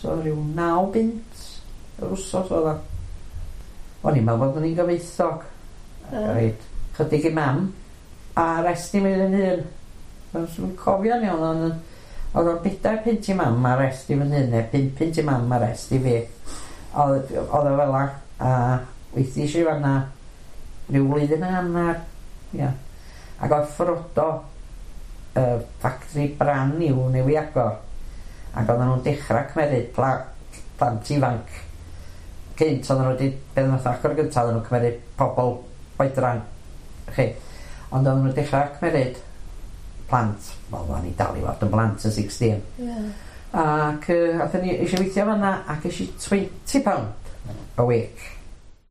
So rhyw 9 bunt yr wsos oedd o. O'n i'n meddwl bod ni'n gyfoethog. Ac reit, chydig i mam, a rest i mi yn hun. Dwi'n cofio'n iawn, ond oedd o'n 4 punt i mam a rest i fy hun, neu 5 punt i mam a rest i fi. Oedd o fel 'a, a weithiau i fanna rhyw flwyddyn a hanner, ia. Ac oedd Ffrodo, factory brand new newy agor, ac oedden nhw'n dechrau cymeryd plant ifanc. Cynt oedden nhw wedi, beth nath agor gyntaf, oedden nhw'n cymeryd pobl oedran, chi. Ond oedden nhw'n dechrau cymeryd plant, wel, o'n i dal i fod yn blant yn 16. Ac athyn ni eisiau weithio fanna ac eisiau £20 a week.